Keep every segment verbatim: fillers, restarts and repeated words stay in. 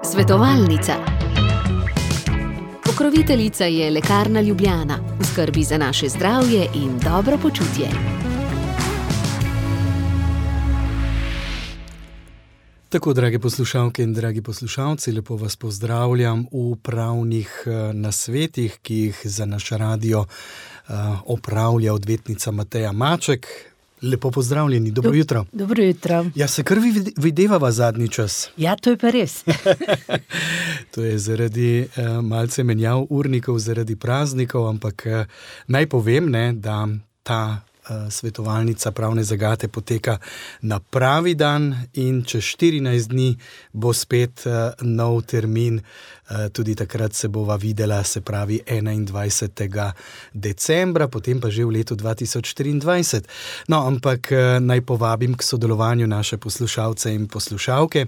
Svetovalnica. Pokroviteljica je Lekarna Ljubljana, v skrbi za naše zdravje in dobro počutje. Tako, drage poslušalke in dragi poslušalci, lepo vas pozdravljam v pravnih nasvetih, ki jih za naš radio opravlja odvetnica Mateja Maček. Lepo pozdravljeni, dobro jutro. Dobro jutro. Ja, se kar videvava zadnji čas. Ja, to je pa res. To je zaradi uh, malce menjav urnikov, zaradi praznikov, ampak uh, naj povem, ne, da ta uh, svetovalnica pravne zagate poteka na pravi dan in čez štirinajst dni bo spet uh, nov termin. Tudi takrat se bova videla, se pravi enaindvajsetega decembra, potem pa že v letu dva tisoč štiriindvajset. No, ampak naj povabim k sodelovanju naše poslušalce in poslušalke.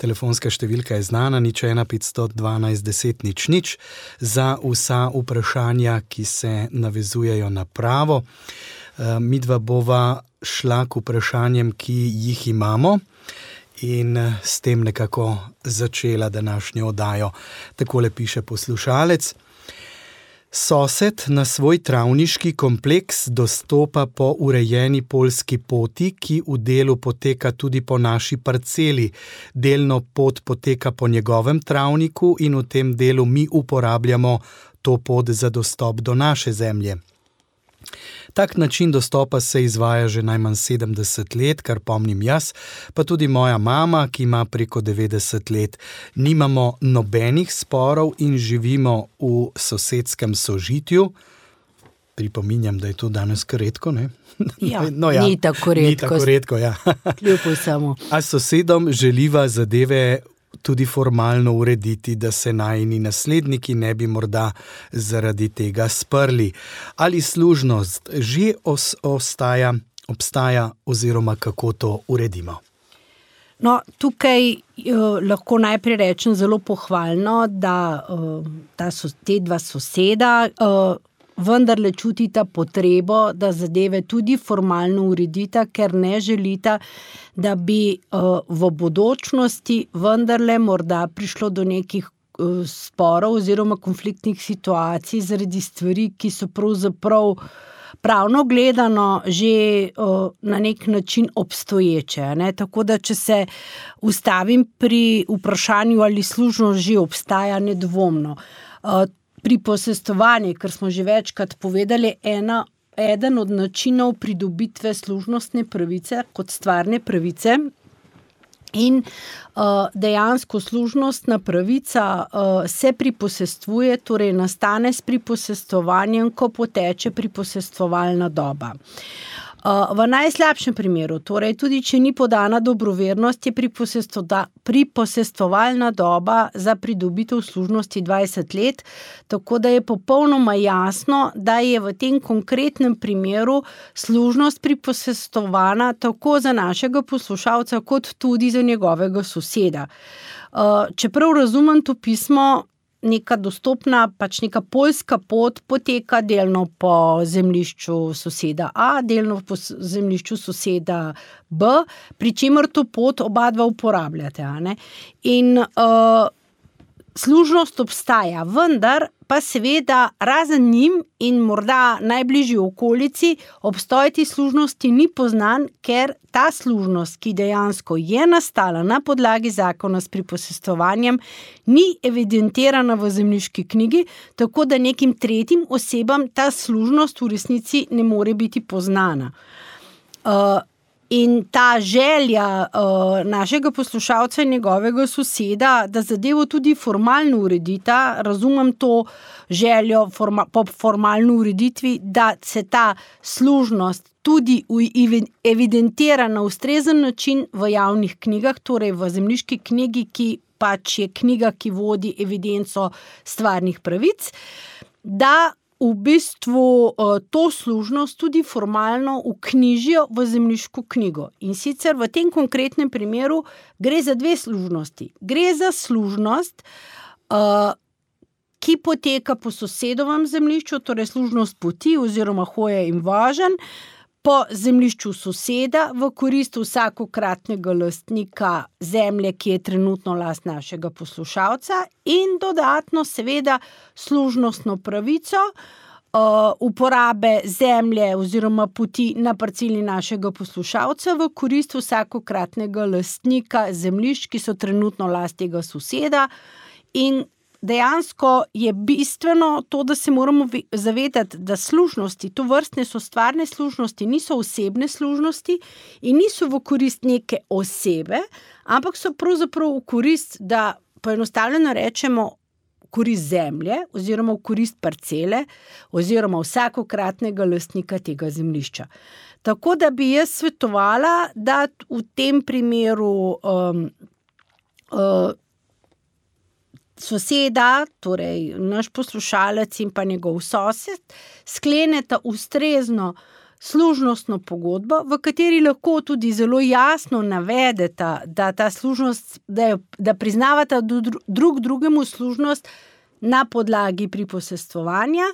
Telefonska številka je znana, nič ena petsto dvanajst deset nič nič, za vsa vprašanja, ki se navezujejo na pravo. Midva bova šla k vprašanjem, ki jih imamo, in s tem nekako začela današnjo oddajo. Takole piše poslušalec. Sosed na svoj travniški kompleks dostopa po urejeni poljski poti, ki v delu poteka tudi po naši parceli. Delno pot poteka po njegovem travniku in v tem delu mi uporabljamo to pot za dostop do naše zemlje. Tak način dostopa se izvaja že najmanj sedemdeset let, kar pomnim jaz, pa tudi moja mama, ki ima preko devetdeset let. Nimamo nobenih sporov in živimo v sosedskem sožitju. Pripominjam, da je to danes kar redko, ne? Ja, no, ja, ni tako redko. Ni tako redko, ja. Kljub samo. A s sosedom želiva zadeve tudi formalno urediti, da se najini nasledniki ne bi morda zaradi tega sprli. Ali služnost že os, ostaja, obstaja oziroma kako to uredimo? No, tukaj uh, lahko najprej rečem zelo pohvalno, da uh, ta so, te dva soseda uh, vendarle čutita potrebo, da zadeve tudi formalno uredita, ker ne želita, da bi uh, v bodočnosti vendarle morda prišlo do nekih uh, sporov oziroma konfliktnih situacij zaradi stvari, ki so pravzaprav pravno gledano že uh, na nek način obstoječe. Ne? Tako da, če se ustavim pri vprašanju, ali služnost že obstaja, nedvomno. Uh, Pri posestovanju, kar smo že večkrat povedali, ena, eden od načinov pridobitve služnostne pravice kot stvarne pravice in uh, dejansko služnostna pravica uh, se priposestvuje, torej nastane s priposestovanjem, ko poteče priposestovalna doba. Uh, v najslabšem primeru, torej tudi če ni podana dobrovernost, je priposestovalna doba za pridobitev služnosti dvajset let, tako da je popolnoma jasno, da je v tem konkretnem primeru služnost priposestovana tako za našega poslušalca, kot tudi za njegovega soseda. Uh, čeprav razumem to pismo, neka dostopna, pač neka poljska pot poteka delno po zemljišču soseda A, delno po zemljišču soseda B, pri čemer to pot oba dva uporabljate. A ne? In uh, služnost obstaja, vendar pa seveda razen njim in morda najbližji okolici obstoj te služnosti ni poznan, ker ta služnost, ki dejansko je nastala na podlagi zakona s priposestovanjem, ni evidentirana v zemljiški knjigi, tako da nekim tretjim osebam ta služnost v resnici ne more biti poznana. Uh, In ta želja uh, našega poslušalca in njegovega soseda, da zadevo tudi formalno uredita, razumem to željo forma, po formalni ureditvi, da se ta služnost tudi evidentira na ustrezen način v javnih knjigah, torej v zemljiški knjigi, ki pač je knjiga, ki vodi evidenco stvarnih pravic, da v bistvu to služnost tudi formalno vknjižijo v zemljiško knjigo. In sicer v tem konkretnem primeru gre za dve služnosti. Gre za služnost, ki poteka po sosedovem zemljišču, torej služnost poti oziroma hoje in voženj, po zemljišču soseda v korist vsakokratnega lastnika zemlje, ki je trenutno last našega poslušalca, in dodatno seveda služnostno pravico uh, uporabe zemlje oziroma poti na parceli našega poslušalca v korist vsakokratnega lastnika zemljišč, ki so trenutno last tega soseda. In dejansko je bistveno to, da se moramo zavedati, da služnosti, to vrstne so stvarne služnosti, niso osebne služnosti in niso v korist neke osebe, ampak so pravzaprav v korist, da poenostavljeno rečemo, v korist zemlje oziroma v korist parcele oziroma vsakokratnega lastnika tega zemljišča. Tako da bi jaz svetovala, da v tem primeru um, uh, soseda, torej naš poslušalec in pa njegov sosed, skleneta ustrezno služnostno pogodbo, v kateri lahko tudi zelo jasno navedeta, da ta služnost, da, je, da priznavata drug drugemu služnost na podlagi priposestvovanja.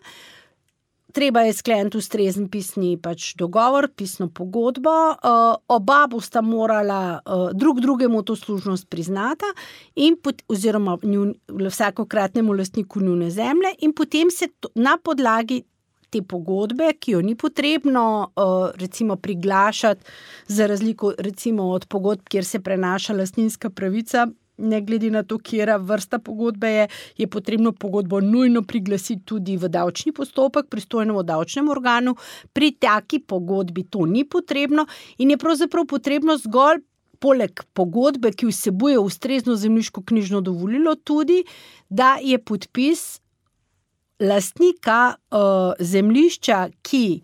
Treba je skleniti ustrezen pisni pač dogovor, pisno pogodbo, uh, oba bosta morala uh, drug drugemu to služnost priznata in pot, oziroma njun, vsakokratnemu lastniku njune zemlje in potem se to, na podlagi te pogodbe, ki jo ni potrebno uh, recimo priglašati za razliko recimo od pogodb, kjer se prenaša lastninska pravica, ne glede na to, kjera vrsta pogodbe je, je potrebno pogodbo nujno priglasiti tudi v davčni postopek, pristojnemu davčnemu organu. Pri taki pogodbi to ni potrebno in je pravzaprav potrebno zgolj poleg pogodbe, ki vsebuje ustrezno zemljiško-knjižno dovolilo, tudi, da je podpis lastnika uh, zemljišča, ki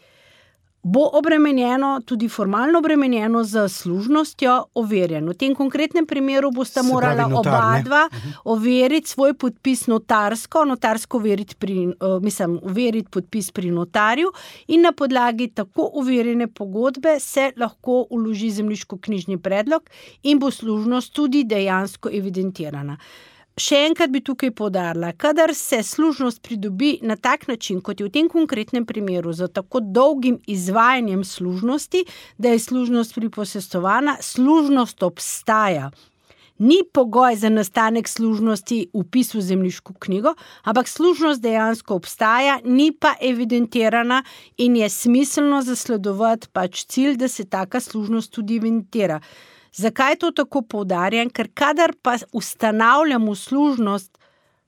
bo obremenjeno, tudi formalno obremenjeno z služnostjo, overjen. V tem konkretnem primeru bosta morala oba dva overiti svoj podpis notarsko, notarsko overiti, pri, uh, mislim, overiti podpis pri notarju in na podlagi tako overjene pogodbe se lahko vloži zemljiško-knjižni predlog in bo služnost tudi dejansko evidentirana. Še enkrat bi tukaj poudarila, kadar se služnost pridobi na tak način, kot je v tem konkretnem primeru, za tako dolgim izvajanjem služnosti, da je služnost priposestovana, služnost obstaja. Ni pogoj za nastanek služnosti vpis v zemljiško knjigo, ampak služnost dejansko obstaja, ni pa evidentirana in je smiselno zasledovati pač cilj, da se taka služnost tudi evidentira. Zakaj to tako poudarjam? Ker kadar pa ustanavljamo služnost,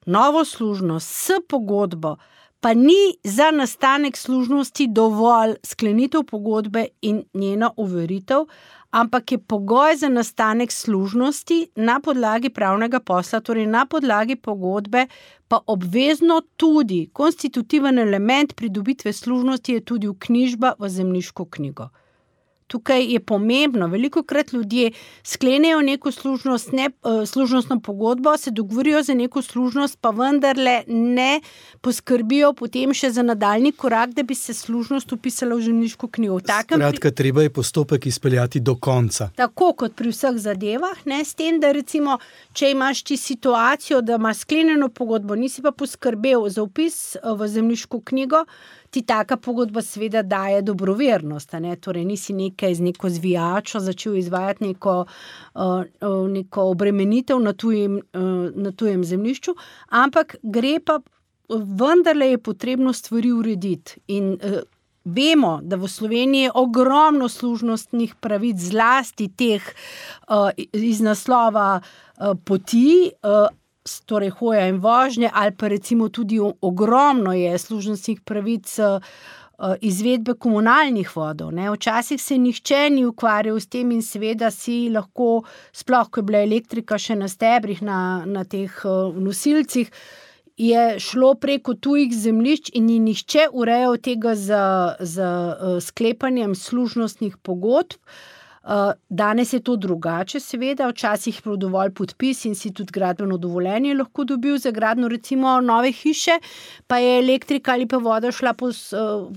novo služnost s pogodbo, pa ni za nastanek služnosti dovolj sklenitev pogodbe in njena overitev, ampak je pogoj za nastanek služnosti na podlagi pravnega posla, torej na podlagi pogodbe, pa obvezno tudi konstitutiven element pridobitve služnosti je tudi vknjižba v zemljiško knjigo. Tukaj je pomembno, velikokrat ljudje sklenejo neko služnost, ne, služnostno pogodbo, se dogovorijo za neko služnost, pa vendarle ne poskrbijo potem še za nadaljnji korak, da bi se služnost vpisala v zemljiško knjigo. Skratka, treba je postopek izpeljati do konca. Tako kot pri vseh zadevah, ne, s tem, da recimo, če imaš ti situacijo, da imaš sklenjeno pogodbo, nisi pa poskrbel za vpis v zemljiško knjigo, ti taka pogodba seveda daje dobrovernost, ne? Torej nisi nekaj z neko zvijačo začel izvajati neko, uh, neko obremenitev na tujem, uh, na tujem zemljišču, ampak gre pa, vendarle je potrebno stvari urediti in uh, vemo, da v Sloveniji je ogromno služnostnih pravic, zlasti teh uh, iz naslova uh, poti, uh, torej hoja in vožnje, ali pa recimo tudi ogromno je služnostnih pravic izvedbe komunalnih vodov. Ne. Včasih se nihče ni ukvarjal s tem in seveda si lahko, sploh ko je bila elektrika še na stebrih, na, na teh nosilcih, je šlo preko tujih zemljišč in ni nihče urejal tega z, z sklepanjem služnostnih pogodb. Danes je to drugače, seveda, včasih je bil dovolj podpis in si tudi gradbeno dovoljenje lahko dobil za gradnjo recimo nove hiše, pa je elektrika ali pa voda šla po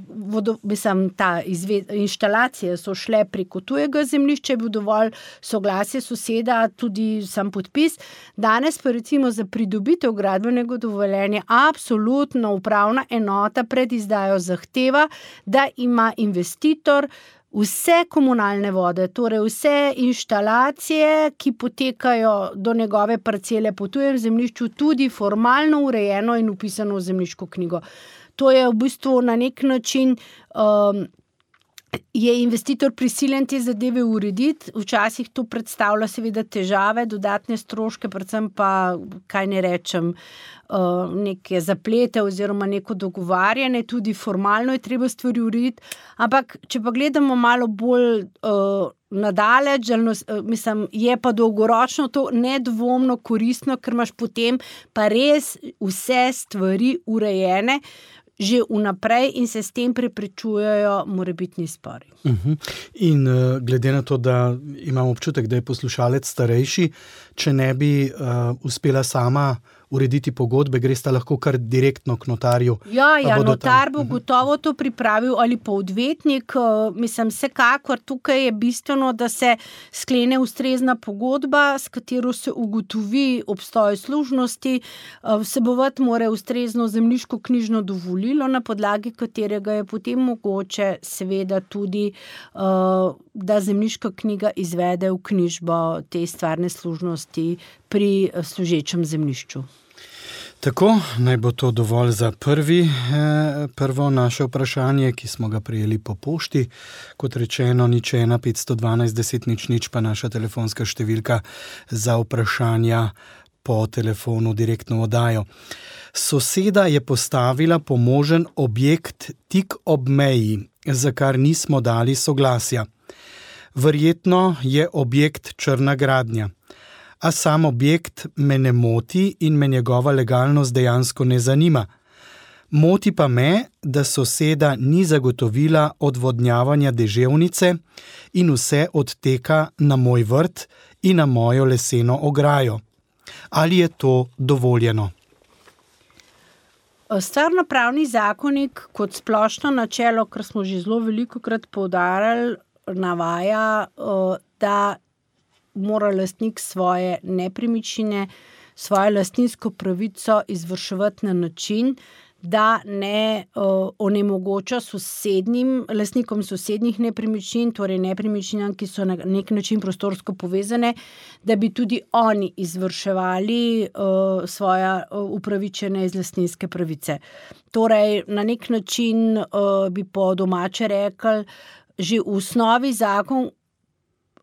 vodo, mislim, ta izved, inštalacije so šle preko tujega zemljišča, je bil dovolj soglasje soseda, tudi sam podpis. Danes pa recimo za pridobitev gradbenega dovoljenja absolutno upravna enota pred izdajo zahteva, da ima investitor vse komunalne vode, torej vse inštalacije, ki potekajo do njegove parcele po tujem zemljišču, tudi formalno urejeno in vpisano v zemljiško knjigo. To je v bistvu na nek način um, je investitor prisiljen te zadeve urediti. Včasih to predstavlja seveda težave, dodatne stroške, predvsem pa, kaj ne rečem, neke zaplete oziroma neko dogovarjanje, tudi formalno je treba stvari urediti. Ampak, če pa gledamo malo bolj uh, nadaleč, mislim, je pa dolgoročno to nedvomno koristno, ker imaš potem pa res vse stvari urejene, že vnaprej in se s tem preprečujejo morebitni spori. Uh-huh. In uh, glede na to, da imam občutek, da je poslušalec starejši, če ne bi uh, uspela sama urediti pogodbe, gresta lahko kar direktno k notarju. Ja, ja, notar bo gotovo to pripravil ali pa odvetnik. Mislim, vsekakor tukaj je bistveno, da se sklene ustrezna pogodba, s katero se ugotovi obstoj služnosti, vsebovati mora ustrezno zemljiško knjižno dovolilo, na podlagi katerega je potem mogoče seveda tudi, da zemljiška knjiga izvede v knjižbo te stvarne služnosti pri služečem zemljišču. Tako, naj bo to dovolj za prvi, eh, prvo naše vprašanje, ki smo ga prijeli po pošti. Kot rečeno, nič ena petsto dvanajst deset nič nič pa naša telefonska številka za vprašanja po telefonu direktno oddajo. Soseda je postavila pomožen objekt tik ob meji, za kar nismo dali soglasja. Verjetno je objekt črna gradnja. A sam objekt me ne moti in me njegova legalnost dejansko ne zanima. Moti pa me, da soseda ni zagotovila odvodnjavanja deževnice in vse odteka na moj vrt in na mojo leseno ograjo. Ali je to dovoljeno? Stvarnopravni zakonik kot splošno načelo, kar smo že zelo velikokrat poudarjali, navaja, da mora lastnik svoje nepremičnine, svojo lastninsko pravico izvrševati na način, da ne uh, onemogoča sosednjim, lastnikom sosednjih nepremičnin, torej nepremičninam, ki so na nek način prostorsko povezane, da bi tudi oni izvrševali uh, svoje uh, upravičene iz lastninske pravice. Torej, na nek način uh, bi po domače rekli, že v osnovi zakon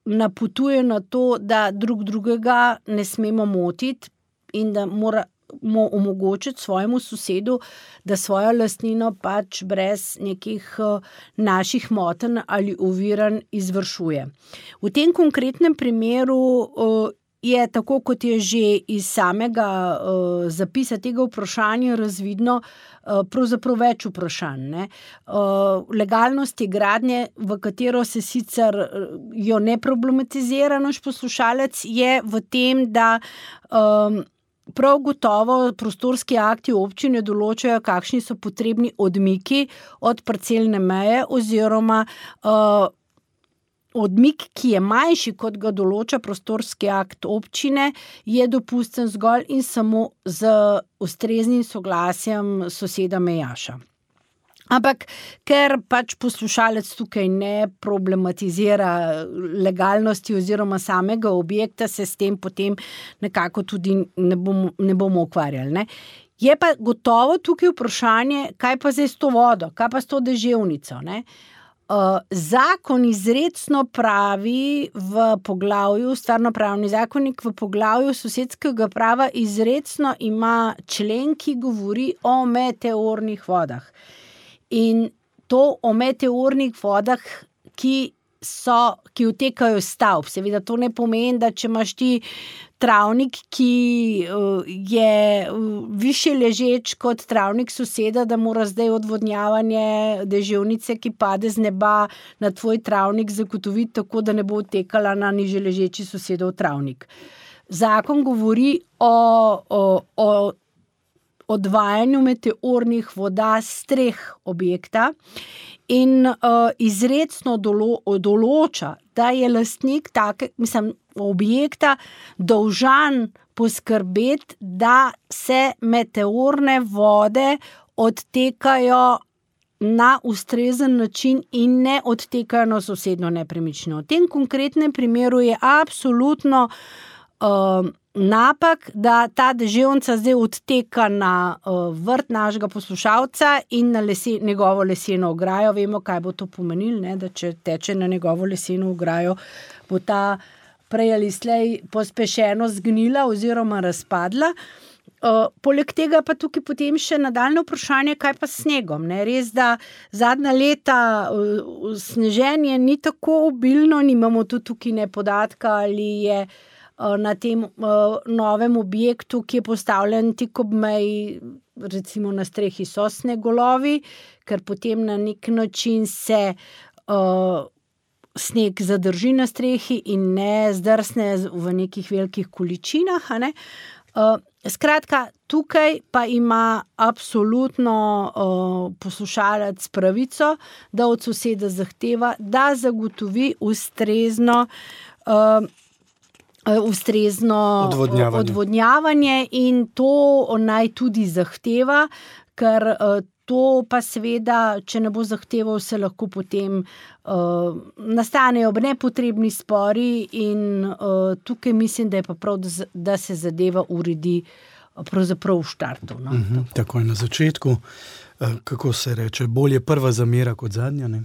napotuje na to, da drug drugega ne smemo motiti in da moramo omogočiti svojemu sosedu, da svojo lastnino pač brez nekih naših motenj ali oviranj izvršuje. V tem konkretnem primeru je, tako kot je že iz samega uh, zapisa tega vprašanja razvidno, uh, pravzaprav več vprašanj. Ne? Uh, legalnosti gradnje, v katero se sicer jo ne problematizira naš poslušalec, je v tem, da um, prav gotovo prostorski akti občine določajo, kakšni so potrebni odmiki od parcelne meje oziroma uh, odmik, ki je manjši, kot ga določa prostorski akt občine, je dopusten zgolj in samo z ustreznim soglasjem soseda mejaša. Ampak, ker pač poslušalec tukaj ne problematizira legalnosti oziroma samega objekta, se s tem potem nekako tudi ne bomo, ne bomo ukvarjali. Ne? Je pa gotovo tukaj vprašanje, kaj pa zdaj s to vodo, kaj pa s to deževnico, ne? Uh, zakon izrecno pravi v poglavju, stvarnopravni zakonik v poglavju sosedskega prava izrecno ima člen, ki govori o meteornih vodah. In to o meteornih vodah, ki so, ki utekajo iz stavb. Seveda to ne pomeni, da če imaš ti travnik, ki je više ležeč kot travnik soseda, da mora zdaj odvodnjavanje deževnice, ki pade z neba na tvoj travnik, zagotoviti tako, da ne bo utekala na niže ležeči sosedov travnik. Zakon govori o, o, o odvajanju meteornih voda s streh objekta in uh, izrecno dolo, določa, da je lastnik take, mislim, objekta dolžan poskrbeti, da se meteorne vode odtekajo na ustrezen način in ne odtekajo na sosednjo nepremičnino. V tem konkretnem primeru je absolutno uh, napak, da ta deževnica zdaj odteka na uh, vrt našega poslušalca in na lese, njegovo leseno ograjo. Vemo, kaj bo to pomenilo, ne? Da če teče na njegovo leseno ograjo, bo ta prej ali slej pospešeno zgnila oziroma razpadla. Uh, poleg tega pa tukaj potem še nadaljne vprašanje, kaj pa s snegom. Ne? Res, da zadnja leta uh, sneženje ni tako obilno, nimamo tudi tukaj ne podatka, ali je na tem uh, novem objektu, ki je postavljen tik ob meji, recimo na strehi so snegolovi, ker potem na nek način se uh, sneg zadrži na strehi in ne zdrsne v nekih velikih količinah. A ne? Uh, skratka, tukaj pa ima absolutno uh, poslušalec pravico, da od soseda zahteva, da zagotovi ustrezno uh, ustrezno odvodnjavanje. odvodnjavanje in to naj tudi zahteva, ker to pa seveda, če ne bo zahteval, se lahko potem uh, nastanejo nepotrebni spori in uh, tukaj mislim, da je pa prav, da se zadeva uredi pravzaprav v štartu. No? Uh-huh, tako je na začetku. Kako se reče, bolje prva zamera kot zadnja, ne?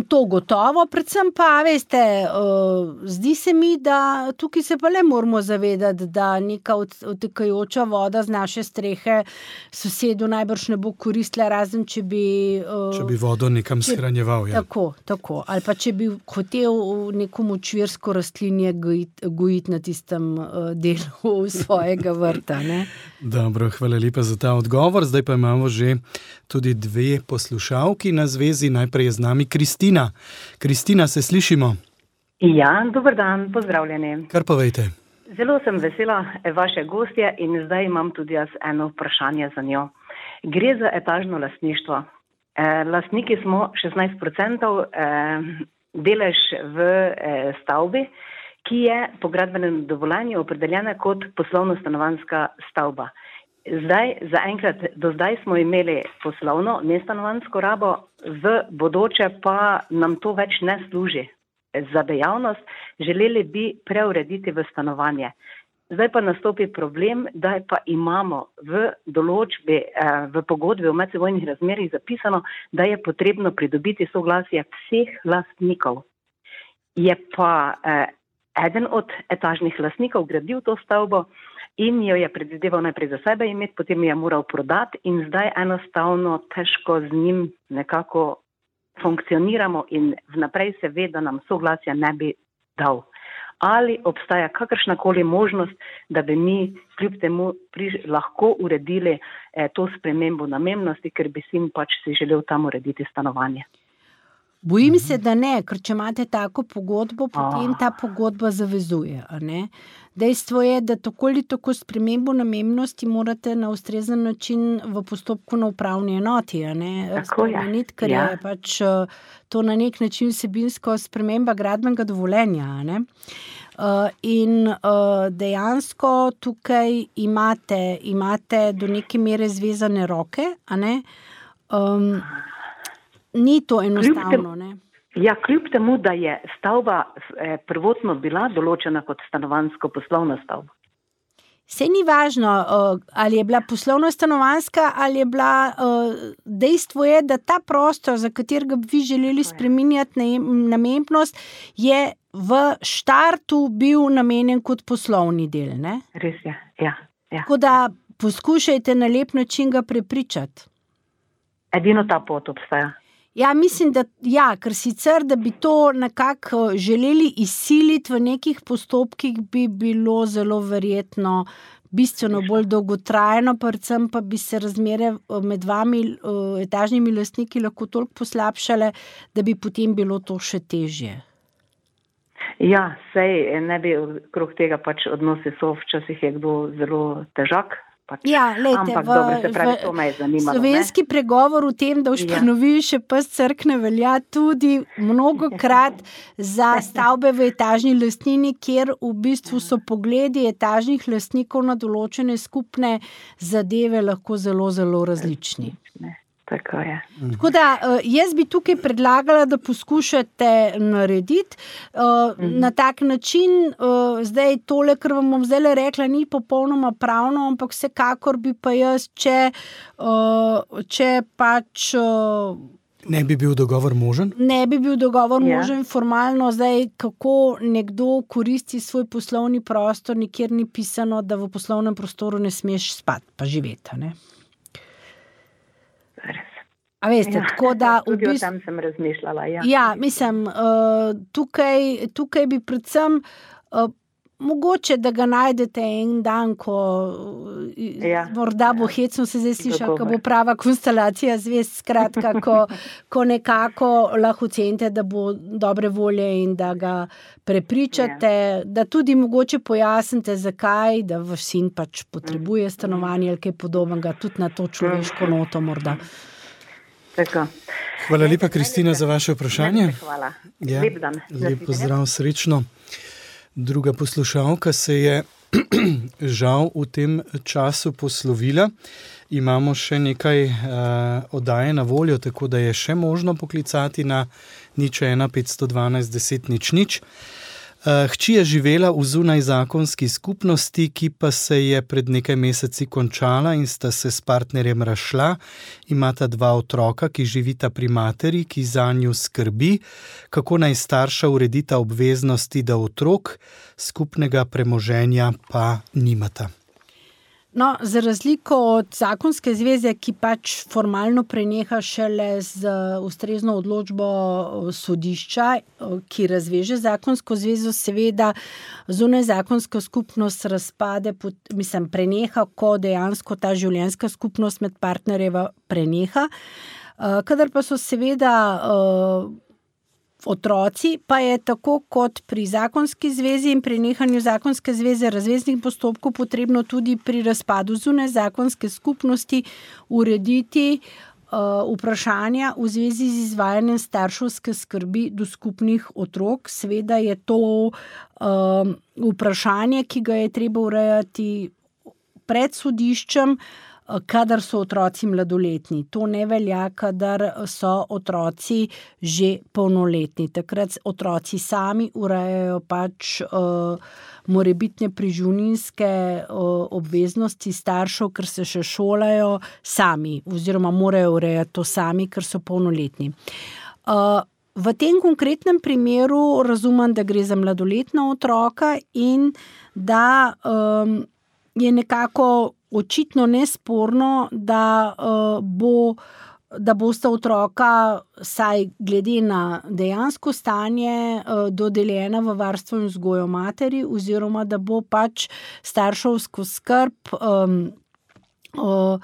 To gotovo, predvsem pa, veste, uh, zdi se mi, da tukaj se pa le moramo zavedati, da neka odtekajoča voda z naše strehe sosedu najbrž ne bo koristila, razen če bi... Uh, če bi vodo nekam če, shranjeval. Ja. Tako, tako. Ali pa če bi hotel neko močvirsko rastlinje gojiti, gojiti na tistem uh, delu svojega vrta. Ne? Dobro, hvala lepa za ta odgovor. Zdaj pa imamo že tudi dve poslušalki na zvezi. Najprej je z nami Kristina. Kristina, se slišimo? Ja, dober dan, pozdravljeni. Kar povejte. Zelo sem vesela vaše gostje in zdaj imam tudi jaz eno vprašanje za njo. Gre za etažno lastništvo. E, lastniki smo šestnajst procentov e, delež v e, stavbi, ki je po gradbenem dovoljenju opredeljena kot poslovno-stanovanjska stavba. Zdaj, zaenkrat, do zdaj smo imeli poslovno, nestanovanjsko rabo, v bodoče pa nam to več ne služi za dejavnost, želeli bi preurediti v stanovanje. Zdaj pa nastopi problem, da pa imamo v določbi, v pogodbi o medsebojnih razmerjih zapisano, da je potrebno pridobiti soglasje vseh lastnikov. Je pa eh, eden od etažnih lastnikov gradil to stavbo in jo je predvideval najprej za sebe imeti, potem je moral prodati in zdaj enostavno težko z njim nekako funkcioniramo in vnaprej se ve, da nam soglasja ne bi dal. Ali obstaja kakršnakoli možnost, da bi mi kljub temu pri, lahko uredili eh, to spremembo namembnosti, ker bi si pač si želel tam urediti stanovanje. Bojim se, da ne, ker če imate tako pogodbo, potem ta pogodba zavezuje. A ne? Dejstvo je, da tako ali tako spremembo namembnosti morate na ustrezen način v postopku na upravni enoti. A ne? Tako je. Spremeniti, ker ja. je pač to na nek način vsebinsko sprememba gradbenega dovoljenja. A ne? Uh, in uh, dejansko tukaj imate, imate do neke mere zvezane roke, a ne? Um, Ni to enostavno, ne? Ja, kljub temu, da je stavba eh, prvotno bila določena kot stanovanjsko poslovna stavba. Saj ni važno, uh, ali je bila poslovna stanovanjska, ali je bila, uh, dejstvo je, da ta prostor, za katerega bi vi želeli spreminjati namembnost, je v štartu bil namenjen kot poslovni del, ne? Res je, ja. ja. Tako da poskušajte na lep način ga prepričati. Edino ta pot obstaja. Ja, mislim, da ja, ker sicer, da bi to nekako želeli izsiliti v nekih postopkih, bi bilo zelo verjetno bistveno bolj dolgotrajno, predvsem pa bi se razmere med vami etažnimi lastniki lahko toliko poslabšale, da bi potem bilo to še težje. Ja, sej ne bi okrog tega pač odnosi so, včasih je kdo zelo težak. Pač. Ja, lejte, Ampak, v, dobro, se pravi, to me je zanimalo, slovenski ne? pregovor v tem, da ušpanovi ja. še pes crkne, velja tudi mnogokrat za stavbe v etažni lastnini, kjer v bistvu so pogledi etažnih lastnikov na določene skupne zadeve lahko zelo, zelo različni. Tako je. Tako da jaz bi tukaj predlagala, da poskušate narediti uh, mm. na tak način, uh, zdaj tole, kar vam bom zdaj rekla, ni popolnoma pravno, ampak vsekakor bi pa jaz, če, uh, če pač... Uh, ne bi bil dogovor možen? Ne bi bil dogovor ja. možen formalno, zdaj kako nekdo koristi svoj poslovni prostor, nikjer ni pisano, da v poslovnem prostoru ne smeš spati, pa živeti, ne? A veste, ja, tako da... Tudi o tem sem razmišljala, ja. Ja, mislim, uh, tukaj, tukaj bi predvsem uh, mogoče, da ga najdete en dan, ko ja, morda bo ja, hecno se zdaj slišal, ko bo prava konstelacija zvest, skratka, ko, ko nekako lahko ocenite, da bo dobre volje in da ga prepričate, ja. Da tudi mogoče pojasnite, zakaj, da vaš sin pač potrebuje stanovanje ali kaj podobnega, tudi na to človeško noto morda. Tako. Hvala lepa, Kristina, za vaše vprašanje. Hvala. Ja, lep dan. Lep pozdrav, srečno. Druga poslušalka se je žal v tem času poslovila. Imamo še nekaj uh, oddaje na voljo, tako da je še možno poklicati na nič ena petsto dvanajst deset nič nič. Hči je živela v zunajzakonski skupnosti, ki pa se je pred nekaj meseci končala in sta se s partnerjem razšla. Imata dva otroka, ki živita pri materi, ki zanju skrbi. Kako naj starša uredita obveznosti do otrok, skupnega premoženja pa nimata. No, za razliko od zakonske zveze, ki pač formalno preneha šele z ustrezno odločbo sodišča, ki razveže zakonsko zvezo, seveda zunajzakonska skupnost razpade, mislim, preneha, ko dejansko ta življenjska skupnost med partnerjeva preneha. Kadar pa so seveda otroci, pa je tako kot pri zakonski zvezi in prenehanju zakonske zveze razveznih postopkov potrebno tudi pri razpadu zunajzakonske skupnosti urediti uh, vprašanja v zvezi z izvajanjem starševske skrbi do skupnih otrok. Seveda je to uh, vprašanje, ki ga je treba urejati pred sodiščem, kadar so otroci mladoletni. To ne velja, kadar so otroci že polnoletni. Takrat otroci sami urejajo pač uh, morebitne preživninske uh, obveznosti staršev, ker se še šolajo sami, oziroma morajo urejati to sami, ker so polnoletni. Uh, v tem konkretnem primeru razumem, da gre za mladoletna otroka in da um, je nekako očitno nesporno, da, uh, bo, da bosta otroka, saj glede na dejansko stanje, uh, dodeljena v varstvo in vzgojo materi, oziroma da bo pač starševsko skrb, um, uh,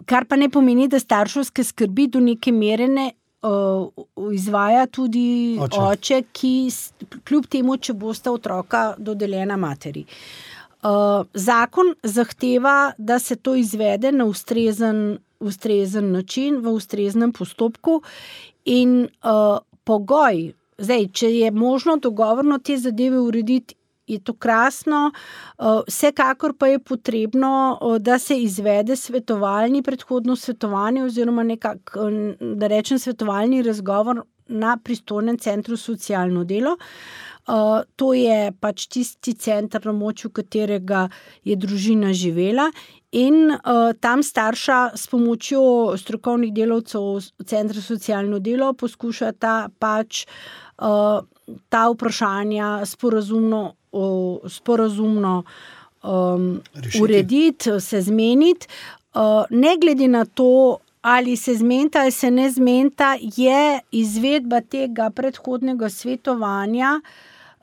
kar pa ne pomeni, da starševske skrbi do neke mere ne uh, izvaja tudi oče. oče, ki kljub temu, če bosta otroka dodeljena materi. Uh, zakon zahteva, da se to izvede na ustrezen, ustrezen način, v ustreznem postopku in uh, pogoj, zdaj, če je možno dogovorno te zadeve urediti, je to krasno, uh, vsekakor pa je potrebno, uh, da se izvede svetovalni, predhodno svetovanje oziroma nekak, da rečem svetovalni razgovor na pristojnem centru socialno delo. Uh, to je pač tisti center, na močju katerega je družina živela in uh, tam starša s pomočjo strokovnih delavcev centra socialno delo poskušata pač uh, ta vprašanja sporazumno, uh, sporazumno um, urediti, se zmeniti. Uh, ne glede na to, ali se zmenta ali se ne zmenta, je izvedba tega predhodnega svetovanja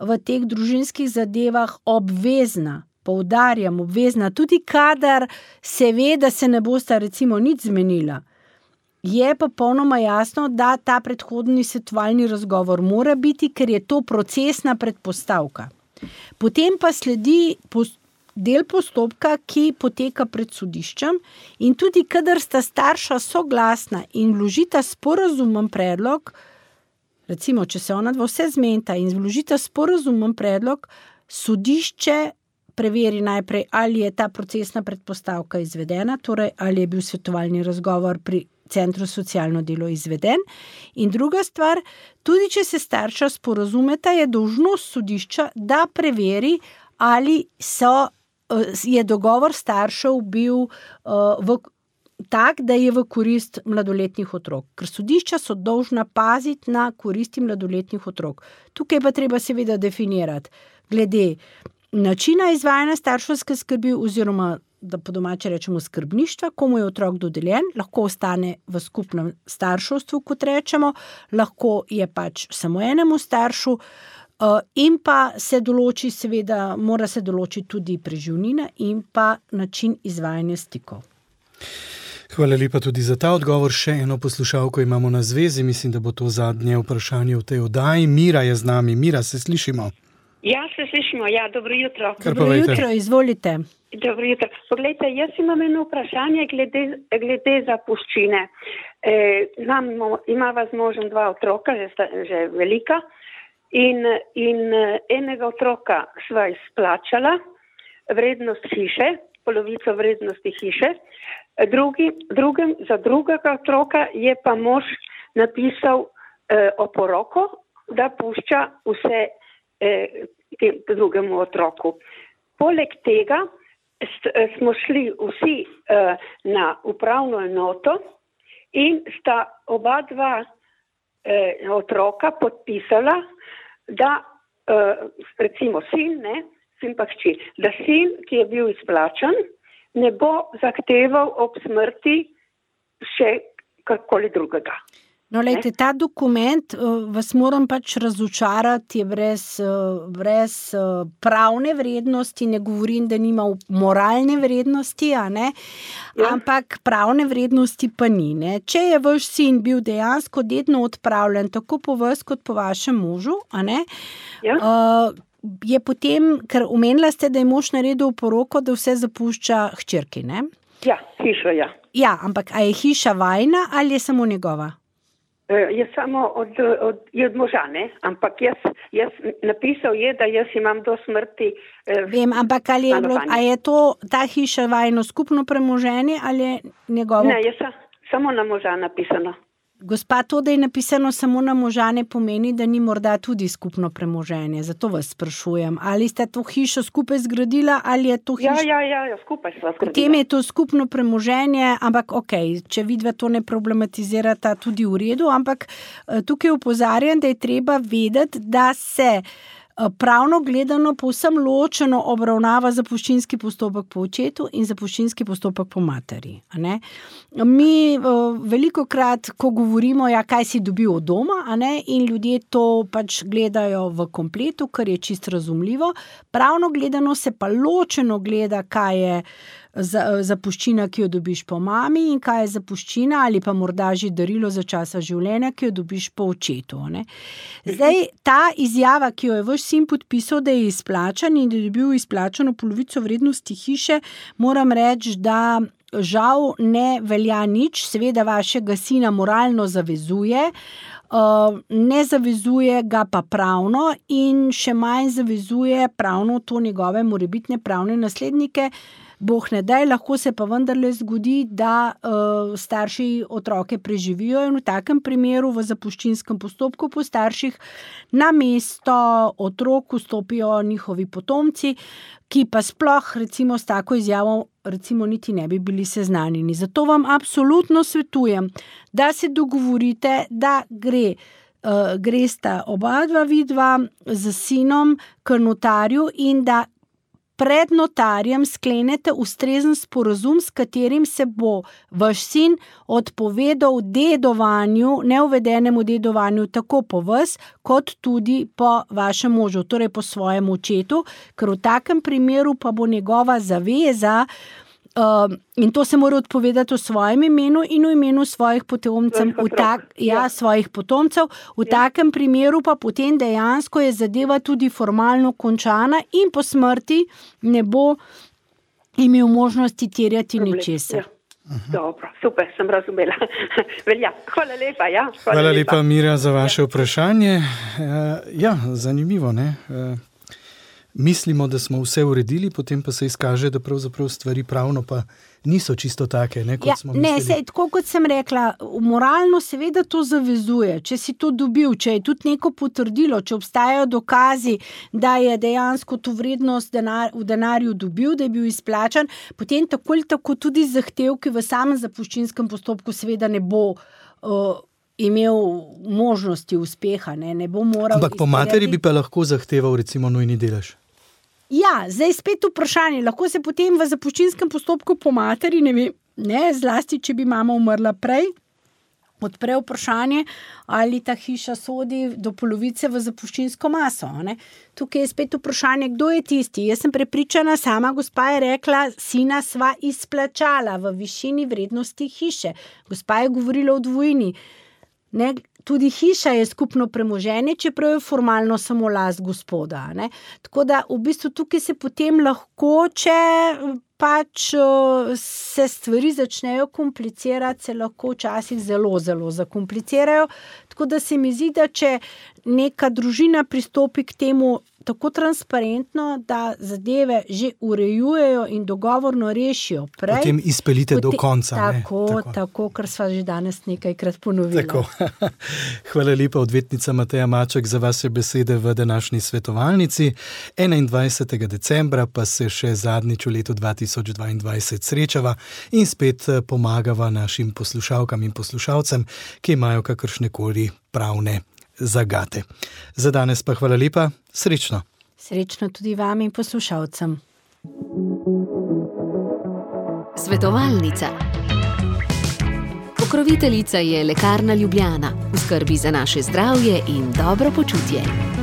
v teh družinskih zadevah obvezna, poudarjam, obvezna, tudi kadar se ve, da se ne bosta recimo nič zmenila. Je pa popolnoma jasno, da ta predhodni svetovalni razgovor mora biti, ker je to procesna predpostavka. Potem pa sledi del postopka, ki poteka pred sodiščem in tudi kadar sta starša soglasna in vložita sporazumen predlog, recimo, če se ona dva vse zmenta in vložita sporazumen predlog, sodišče preveri najprej, ali je ta procesna predpostavka izvedena, torej ali je bil svetovalni razgovor pri centru socialno delo izveden. In druga stvar, tudi če se starša sporazumeta, je dolžnost sodišča, da preveri, ali so, je dogovor staršev bil v tak, da je v korist mladoletnih otrok. Ker sodišča so dolžna paziti na koristi mladoletnih otrok. Tukaj pa treba seveda definirati glede načina izvajanja starševske skrbi oziroma, da po domače rečemo, skrbništva, komu je otrok dodeljen, lahko ostane v skupnem starševstvu, kot rečemo, lahko je pač samo enemu staršu, in pa se določi, seveda, mora se določiti tudi preživnina in pa način izvajanja stikov. Hvala lepa tudi za ta odgovor. Še eno poslušalko imamo na zvezi. Mislim, da bo to zadnje vprašanje v tej oddaji. Mira je z nami. Mira, se slišimo? Ja, se slišimo. Ja, dobro jutro. Kar Dobro povejte. jutro, izvolite. Dobro jutro. Poglejte, jaz imam eno vprašanje glede, glede zapuščine. E, imamo, imava z možem dva otroka, že, sta, že velika, in, in enega otroka sva izplačala vrednost hiše, polovico vrednosti hiše. Drugi, drugem, za drugega otroka je pa mož napisal eh, oporoko, da pušča vse eh, tem drugemu otroku. Poleg tega st, eh, smo šli vsi eh, na upravno enoto in sta oba dva eh, otroka podpisala, da eh, recimo sin, ne, sin pa hči, da sin, ki je bil izplačan, ne bo zahteval ob smrti še karkoli drugega. No, lejte, ta dokument uh, vas moram pač razočarati, je brez, uh, brez uh, pravne vrednosti, ne govorim, da nima moralne vrednosti, a ne? Ja. Ampak pravne vrednosti pa ni. Ne? Če je vaš sin bil dejansko dedno odpravljen, tako po vas kot po vašem možu, a ne? Ja. Uh, je potem, ker omenila ste, da je mož naredil poroko, da vse zapušča hčerki, ne? Ja, hiša, ja. Ja, ampak a je hiša vajna ali je samo njegova? E, je samo od, od, je od moža, ne? Ampak jaz, jaz napisal je, da jaz imam do smrti e, Vem, ampak ali je, bilo, a je to, ta hiša vajno skupno premoženje ali je njegovo? Ne, je sa, samo na moža napisano. Gospa, to, da je napisano samo na moža, ne pomeni, da ni morda tudi skupno premoženje. Zato vas sprašujem, ali ste to hišo skupaj zgradila ali je to hiša... Ja, ja, ja, skupaj sva zgradila. Potem je to skupno premoženje, ampak ok, če vidva to ne problematizirata, tudi v redu, ampak tukaj opozarjam, da je treba vedeti, da se pravno gledano povsem ločeno obravnava zapuščinski postopek po očetu in zapuščinski postopek po materi. A ne? Mi veliko krat, ko govorimo, ja, kaj si dobil od doma, a ne? In ljudje to pač gledajo v kompletu, kar je čist razumljivo. Pravno gledano se pa ločeno gleda, kaj je zapuščina, ki jo dobiš po mami in kaj je zapuščina ali pa morda že darilo za časa življenja, ki jo dobiš po očetu. Ne? Zdaj, ta izjava, ki jo je vaš sin podpisal, da je izplačan in da je dobil izplačano polovico vrednosti hiše, moram reči, da žal ne velja nič, seveda vašega sina moralno zavezuje, ne zavezuje ga pa pravno in še manj zavezuje pravno to njegove morebitne pravne naslednike. Boh ne daj, lahko se pa vendarle zgodi, da uh, starši otroke preživijo in v takem primeru v zapuščinskem postopku po starših na mesto otrok vstopijo njihovi potomci, ki pa sploh recimo s tako izjavo recimo niti ne bi bili seznanjeni. Zato vam absolutno svetujem, da se dogovorite, da gre uh, gresta oba dva vidva z sinom k notarju in da pred notarjem sklenete ustrezen sporazum, s katerim se bo vaš sin odpovedal dedovanju, neuvedenemu dedovanju tako po vas, kot tudi po vašem možu, torej po svojem očetu, ker v takem primeru pa bo njegova zaveza, uh, in to se mora odpovedati v svojem imenu in v imenu svojih potomcev, v tak, ja, svojih potomcev. V ja. takem primeru pa potem dejansko je zadeva tudi formalno končana in po smrti ne bo imel možnosti terjati ničesar. Ja. Dobro, super, sem razumela. Velja, hvala lepa. Ja, hvala, hvala lepa. lepa, Mira, za vaše vprašanje. Ja, zanimivo, ne? mislimo, da smo vse uredili, potem pa se izkaže, da pravzaprav stvari pravno pa niso čisto take, ne, kot ja, smo mislili. Ne, sej, tako kot sem rekla, moralno seveda to zavezuje, če si to dobil, če je tudi neko potrdilo, če obstajajo dokazi, da je dejansko to vrednost denar, v denarju dobil, da je bil izplačan, potem tako ali tako tudi zahtevki v samem zapuščinskem postopku seveda ne bo uh, imel možnosti uspeha, ne, ne bo moral... Ampak po materi bi pa lahko zahteval recimo nujni delež. Ja, zdaj spet vprašanje, lahko se potem v zapuščinskem postopku po materi, ne vem, ne, zlasti, če bi mama umrla prej, odpre vprašanje, ali ta hiša sodi do polovice v zapuščinsko maso. Ne. Tukaj je spet vprašanje, kdo je tisti. Jaz sem prepričana, sama gospa je rekla, sina sva izplačala v višini vrednosti hiše. Gospa je govorila o dvojini. Ne, tudi hiša je skupno premoženje, čeprav je formalno samo last gospoda. Ne. Tako da v bistvu tukaj se potem lahko, če pač se stvari začnejo komplicirati, se lahko včasih zelo, zelo zakomplicirajo. Tako da se mi zdi, da če neka družina pristopi k temu tako transparentno, da zadeve že urejujejo in dogovorno rešijo prej. Potem izpeljite potem, do konca. Tako, ne? tako, tako, kar sva že danes nekajkrat ponovila. Tako. Hvala lepa, odvetnica Mateja Maček, za vaše besede v današnji svetovalnici. enaindvajsetega decembra pa se še zadnjič v letu dva tisoč dvaindvajset srečava in spet pomagava našim poslušalkam in poslušalcem, ki imajo kakršnekoli pravne zagate. Za danes pa hvala lepa, srečno. Srečno tudi vam in poslušalcem. Svetovalnica. Pokroviteljica je Lekarna Ljubljana. V skrbi za naše zdravje in dobro počutje.